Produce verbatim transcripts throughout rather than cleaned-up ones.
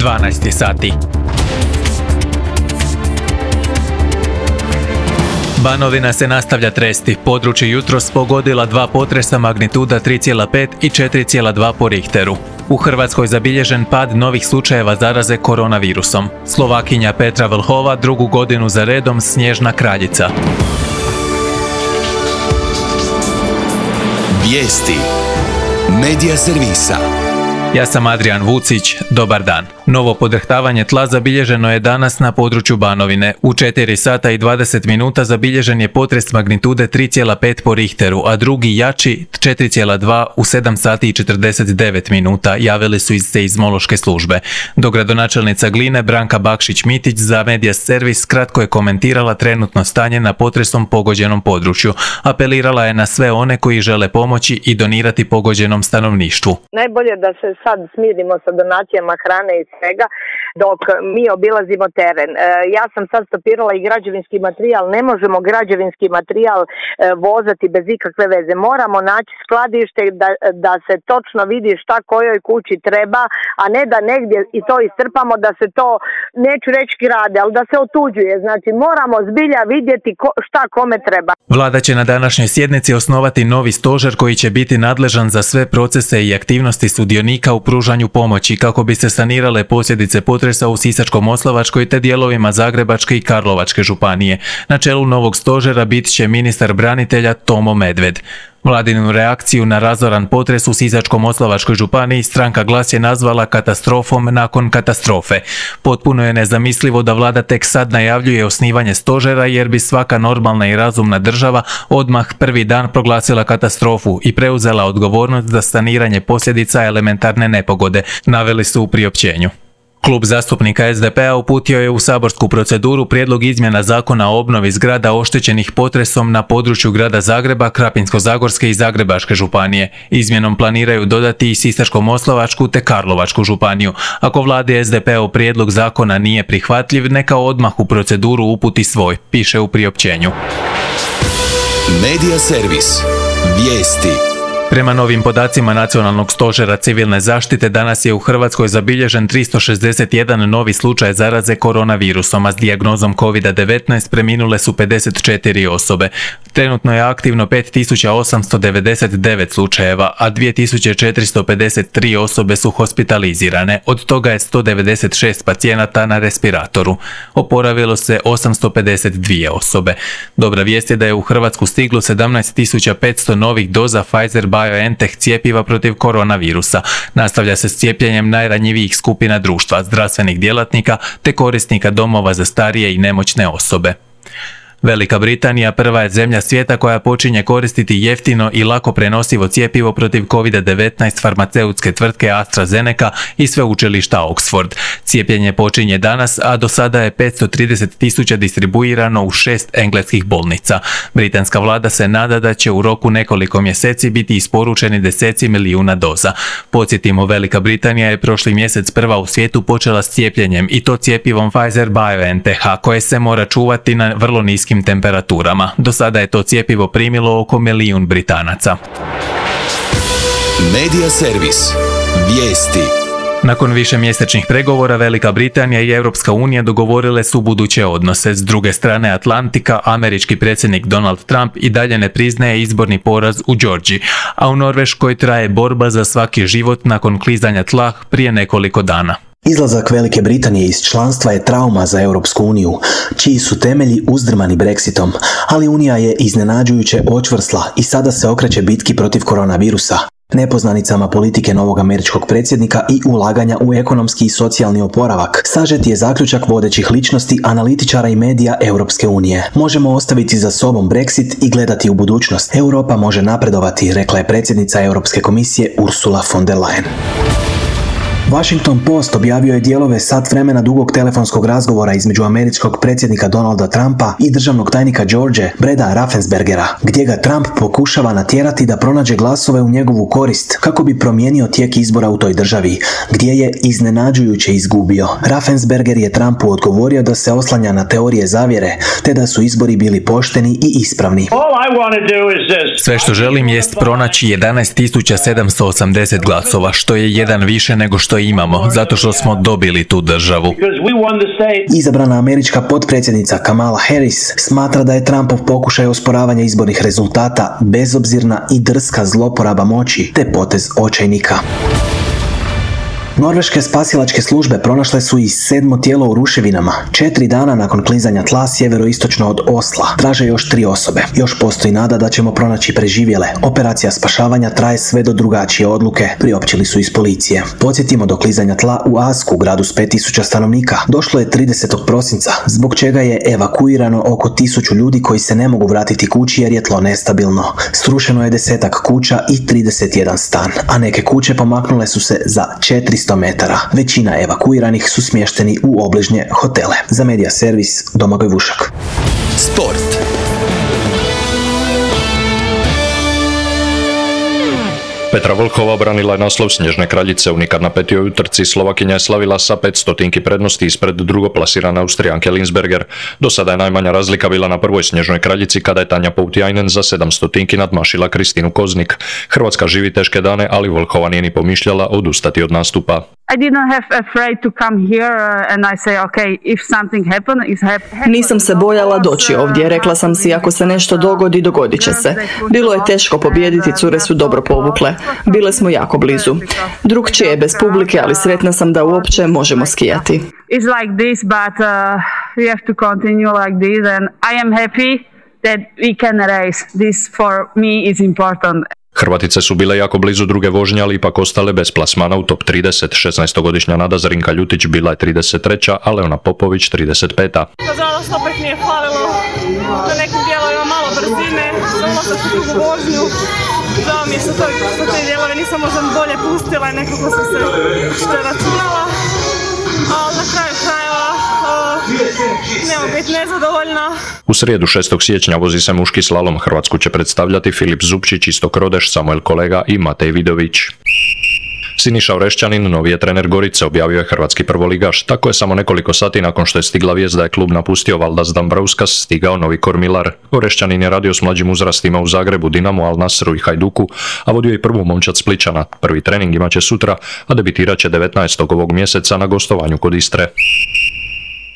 dvanaest sati. Banovina se nastavlja tresti. Područje jutros pogodila dva potresa magnituda tri zarez pet i četiri zarez dva po Richteru. U Hrvatskoj zabilježen pad novih slučajeva zaraze koronavirusom. Slovakinja Petra Vlhova drugu godinu za redom snježna kraljica. Vijesti Medija servisa. Ja sam Adrian Vucić, dobar dan. Novo podrhtavanje tla zabilježeno je danas na području Banovine. U četiri sata i dvadeset minuta zabilježen je potres magnitude tri zarez pet po Richteru, a drugi jači četiri zarez dva u sedam sati i četrdeset devet minuta, javili su iz seizmološke službe. Dogradonačelnica Gline Branka Bakšić-Mitić za Medija servis kratko je komentirala trenutno stanje na potresom pogođenom području. Apelirala je na sve one koji žele pomoći i donirati pogođenom stanovništvu. Najbolje da se sad smirimo sa donacijama hrane i svega dok mi obilazimo teren. E, ja sam sad stopirala i građevinski materijal. Ne možemo građevinski materijal e, vozati bez ikakve veze. Moramo naći skladište da, da se točno vidi šta kojoj kući treba, a ne da negdje i to istrpamo, da se to, neću reći grade, ali da se otuđuje. Znači moramo zbilja vidjeti ko, šta kome treba. Vlada će na današnjoj sjednici osnovati novi stožer koji će biti nadležan za sve procese i aktivnosti sudionika u pružanju pomoći kako bi se sanirale posljedice potresa u Sisačko-moslavačkoj te dijelovima Zagrebačke i Karlovačke županije. Na čelu novog stožera bit će ministar branitelja Tomo Medved. Vladinu reakciju na razoran potres u Sisačko-moslavačkoj županiji stranka Glas je nazvala katastrofom nakon katastrofe. Potpuno je nezamislivo da vlada tek sad najavljuje osnivanje stožera jer bi svaka normalna i razumna država odmah prvi dan proglasila katastrofu i preuzela odgovornost za saniranje posljedica elementarne nepogode, naveli su u priopćenju. Klub zastupnika es de pe a uputio je u saborsku proceduru prijedlog izmjena zakona o obnovi zgrada oštećenih potresom na području grada Zagreba, Krapinsko-zagorske i Zagrebačke županije. Izmjenom planiraju dodati i Sisačko-moslavačku te Karlovačku županiju. Ako vladi es de pe a prijedlog zakona nije prihvatljiv, neka odmah u proceduru uputi svoj, piše u priopćenju. Medija servis. Vijesti. Prema novim podacima Nacionalnog stožera civilne zaštite, danas je u Hrvatskoj zabilježen tristo šezdeset jedan novi slučaj zaraze koronavirusom, a s dijagnozom kovid devetnaest preminule su pedeset četiri osobe. Trenutno je aktivno pet tisuća osamsto devedeset devet slučajeva, a dvije tisuće četiristo pedeset tri osobe su hospitalizirane, od toga je sto devedeset šest pacijenata na respiratoru. Oporavilo se osamsto pedeset dvije osobe. Dobra vijest je da je u Hrvatsku stiglo sedamnaest tisuća petsto novih doza Pfizer BioNTech cijepiva protiv koronavirusa. Nastavlja se s cijepljenjem najranjivijih skupina društva, zdravstvenih djelatnika te korisnika domova za starije i nemoćne osobe. Velika Britanija prva je zemlja svijeta koja počinje koristiti jeftino i lako prenosivo cjepivo protiv kovid devetnaest farmaceutske tvrtke AstraZeneca i sveučilišta Oxford. Cijepljenje počinje danas, a do sada je petsto trideset tisuća distribuirano u šest engleskih bolnica. Britanska vlada se nada da će u roku nekoliko mjeseci biti isporučeni deseci milijuna doza. Podsjetimo, Velika Britanija je prošli mjesec prva u svijetu počela s cijepljenjem i to cjepivom Pfizer BioNTech, koje se mora čuvati na vrlo niskim temperaturama. Do sada je to cjepivo primilo oko milijun Britanaca. Medija servis. Vijesti. Nakon višemjesečnih pregovora, Velika Britanija i Europska unija dogovorile su buduće odnose. S druge strane Atlantika, američki predsjednik Donald Trump i dalje ne priznaje izborni poraz u Georgiji, a u Norveškoj traje borba za svaki život nakon klizanja tla prije nekoliko dana. Izlazak Velike Britanije iz članstva je trauma za Europsku uniju, čiji su temelji uzdrmani Brexitom, ali Unija je iznenađujuće očvrsla i sada se okreće bitki protiv koronavirusa, nepoznanicama politike novog američkog predsjednika i ulaganja u ekonomski i socijalni oporavak. Sažet je zaključak vodećih ličnosti, analitičara i medija Europske unije. Možemo ostaviti za sobom Brexit i gledati u budućnost. Europa može napredovati, rekla je predsjednica Europske komisije Ursula von der Leyen. Washington Post objavio je dijelove sat vremena dugog telefonskog razgovora između američkog predsjednika Donalda Trumpa i državnog tajnika George Breda Raffenspergera, gdje ga Trump pokušava natjerati da pronađe glasove u njegovu korist kako bi promijenio tijek izbora u toj državi, gdje je iznenađujuće izgubio. Raffensperger je Trumpu odgovorio da se oslanja na teorije zavjere, te da su izbori bili pošteni i ispravni. Sve što želim jest pronaći jedanaest tisuća sedamsto osamdeset glasova, što je jedan više nego što što imamo, zato što smo dobili tu državu. Izabrana američka potpredsjednica Kamala Harris smatra da je Trumpov pokušaj osporavanja izbornih rezultata bezobzirna i drska zloporaba moći te potez očajnika. Norveške spasilačke službe pronašle su i sedmo tijelo u ruševinama, četiri dana nakon klizanja tla sjeveroistočno od Osla. Traže još tri osobe. Još postoji nada da ćemo pronaći preživjele. Operacija spašavanja traje sve do drugačije odluke, priopćili su iz policije. Podsjetimo, do klizanja tla u Asku, gradu s pet tisuća stanovnika, došlo je tridesetog prosinca, zbog čega je evakuirano oko tisuću ljudi koji se ne mogu vratiti kući jer je tlo nestabilno. Srušeno je desetak kuća i trideset jedan stan, a neke kuće pomaknule su se za četiristo metara. Većina evakuiranih su smješteni u obližnje hotele. Za Medija servis Domagoj Vušak. Sport. Petra Vlhova obranila je naslov Snježne kraljice. U nikad napetijoj utrci Slovakinja je slavila sa pet stotinki prednosti ispred drugoplasirane Austrijanke Linsberger. Do sada je najmanja razlika bila na prvoj Snježnoj kraljici kada je Tanja Poutjajnen za sedam stotinki nadmašila Kristinu Koznik. Hrvatska živi teške dane, ali Vlhova nije ni pomišljala odustati od nastupa. I didn't have afraid to come here and I say okay, if something happen is happen. Nisam se bojala doći ovdje, rekla sam si ako se nešto dogodi, dogodit će se. Bilo je teško pobijediti, cure su dobro povukle. Bile smo jako blizu. Drugčije je bez publike, ali sretna sam da uopće možemo skijati. It's like this, but uh, we have to continue like this and I am happy that we can race. This for me is important. Hrvatice su bile jako blizu druge vožnje, ali ipak ostale bez plasmana u top trideset. šesnaestogodišnja Nada Zrinka Ljutić bila je trideset treća, a Leona Popović trideset peta. Nažalost, opet mi je falilo na nekim dijelovima malo brzine, za ulazak u drugu vožnju. Žao mi je što te dijelove nisam možda bolje pustila i nekako sam se što je računala, ali na kraju krajeva ne mogu biti nezadovoljna. U srijedu šestog siječnja vozi se muški slalom. Hrvatsku će predstavljati Filip Zupčić, Istok Rodeš, Samuel Kolega i Matej Vidović. Siniša Orešćanin novi je trener Gorice, objavio je hrvatski prvoligaš. Tako je samo nekoliko sati nakon što je stigla vijest da je klub napustio Valdas Dambrauskas stigao novi kormilar. Orešćanin je radio s mlađim uzrastima u Zagrebu, Dinamu, Al Nasru i Hajduku, a vodio i prvu momčad Splićana. Prvi trening imaće sutra, a debitirat će devetnaestog ovog mjeseca na gostovanju kod Istre.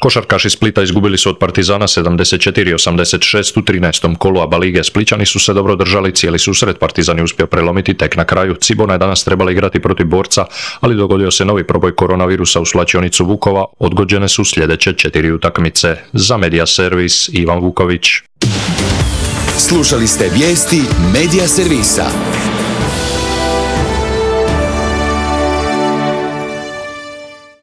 Košarkaši Splita izgubili su od Partizana sedamdeset četiri osamdeset šest u trinaestom kolu ABA lige. Splićani su se dobro držali cijeli susret, Partizan je uspio prelomiti tek na kraju. Cibona je danas trebala igrati protiv Borca, ali dogodio se novi proboj koronavirusa u slačionicu Vukova. Odgođene su sljedeće četiri utakmice. Za Medija servis Ivan Vuković. Slušali ste vijesti Medija servisa.